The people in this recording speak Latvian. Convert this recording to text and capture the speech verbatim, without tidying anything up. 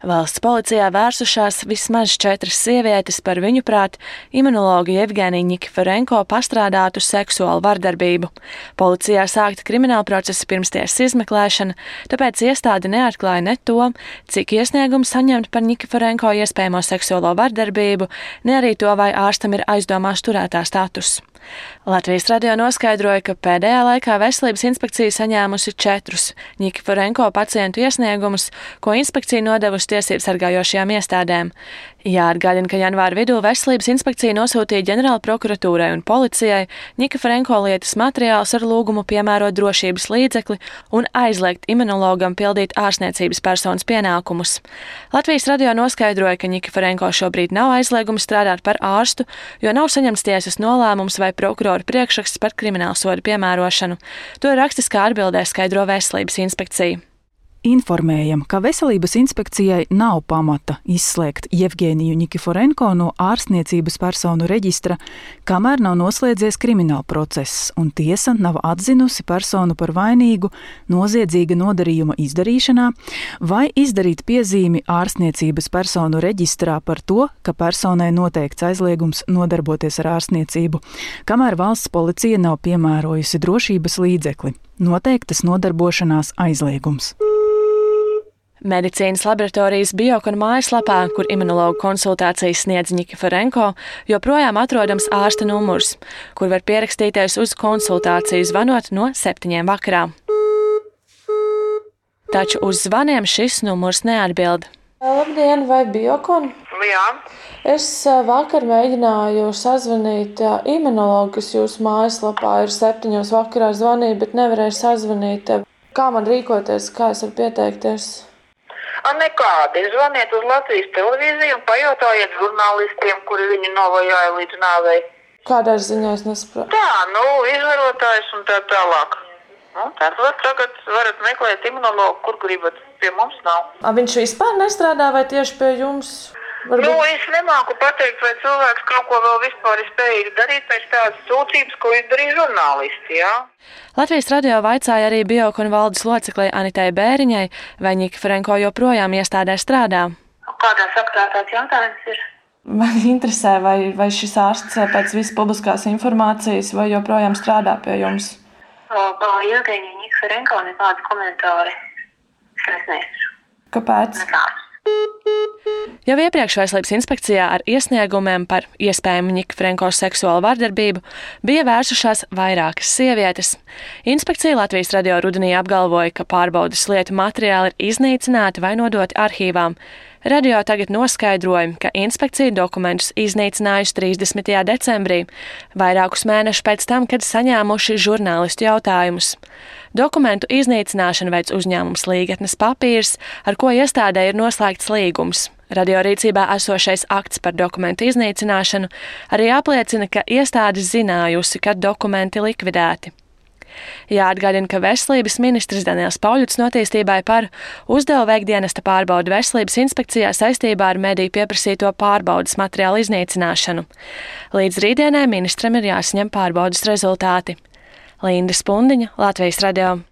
Valsts policijā vērsušās vismaz četras sievietes par viņuprāt imunologu Jevgeniju Nikiforenko pastrādātu seksuālu vardarbību. Policijā sākta krimināla procesa pirmstiesas izmeklēšana, tāpēc iestāde neatklāja ne to, cik iesniegumu saņemt par Nikiforenko iespējamo seksuālo vardarbību, ne arī to, vai ārstam ir aizdomās turētā status. Latvijas radio noskaidroja, ka pēdējā laikā Veselības inspekcija saņēmusi četrus Nikiforenko pacientu iesniegumus, ko inspekcija nodevusi tiesību sargājošajām iestādēm. Jāatgādina, ka janvāra vidū Veselības inspekcija nosūtīja ģenerāla prokuratūrai un policijai Nikiforenko lietas materiālus ar lūgumu piemērot drošības līdzekli un aizliegt imunologam pildīt ārstniecības personas pienākumus. Latvijas radio noskaidroja, ka Nikiforenko šobrīd nav aizliegums strādāt par ārstu, jo nav saņemts tiesas nolēmums vai prokurora priekšraksts par kriminālsodu piemērošanu. To rakstiskā atbildē skaidro Veselības inspekcija. Informējam, ka Veselības inspekcijai nav pamata izslēgt Jevgeniju Nikiforenko no ārstniecības personu reģistra, kamēr nav noslēdzies krimināla process, un tiesa nav atzinusi personu par vainīgu noziedzīga nodarījuma izdarīšanā vai izdarīt piezīmi ārstniecības personu reģistrā par to, ka personai noteikts aizliegums nodarboties ar ārstniecību, kamēr valsts policija nav piemērojusi drošības līdzekli. Noteiktas nodarbošanās aizliegums. Medicīnas laboratorijas Biokon mājaslapā, kur imunologu konsultācijas sniedz Nikiforenko, joprojām atrodams ārsta numurs, kur var pierakstīties uz konsultāciju zvanot no septiņiem vakarā. Taču uz zvaniem šis numurs neatbild. Labdien, vai Biokon? Jā. Es vakar mēģināju sazvanīt imunologu, kas jūsu mājaslapā ir septiņos vakarā zvanīja, bet nevarēju sazvanīt. Kā man rīkoties, kā es varu pieteikties? Nekādi. Zvaniet uz Latvijas televīziju un pajautājiet žurnālistiem, kuri viņu novajāja līdz nāvei. Kādā ziņā es nesaprotu? Tā, nu, izvarotājs un tā tālāk. Nu, tad var tagad varat meklēt imunologu, kur gribat. Pie mums nav. A, viņš vispār nestrādā vai tieši pie jums? Varbūt... Nu, es nemāku pateikt, vai cilvēks kaut ko vēl vispār ir spējīgs darīt pēc tādas sūdzības, ko izdarīja žurnālisti, jā? Latvijas radio vaicāja arī Biokon valdes loceklei Anitai Bēriņai, vai Nikiforenko joprojām iestādē strādā. Kādā sakrā tāds jautājums ir? Man interesē, vai, vai šis ārsts pēc visas publiskās informācijas vai joprojām strādā pie jums? Par Jevgeniju Nikiforenko nekādi komentāri. Es neesmu. Kāpēc? Nekāds. Jau iepriekš Veselības inspekcijā ar iesniegumiem par iespējamu Nikiforenko seksuālu vardarbību bija vērsušās vairākas sievietes. Inspekcija Latvijas radio rudenī apgalvoja, ka pārbaudes lietu materiāli ir iznīcināti vai nodoti arhīvām. Radio tagad noskaidroja, ka inspekcija dokumentus iznīcinājusi trīsdesmitajā decembrī, vairākus mēnešus pēc tam, kad saņēmuši žurnālistu jautājumus. Dokumentu iznīcināšanu veic uzņēmums Līgatnes papīrs, ar ko iestādē ir noslēgts līgums. Radio rīcībā esošais akts par dokumentu iznīcināšanu arī apliecina, ka iestāde zinājusi, ka dokumenti likvidēti. Jāatgādina, ka veselības ministrs Daniels Pauļuts notīstībai par uzdevu veikt dienesta pārbaudu Veselības inspekcijā saistībā ar mediju pieprasīto pārbaudas materiālu iznīcināšanu. Līdz rītdienai ministram ir jāsaņem pārbaudas rezultāti. Linda Spundiņa, Latvijas radio.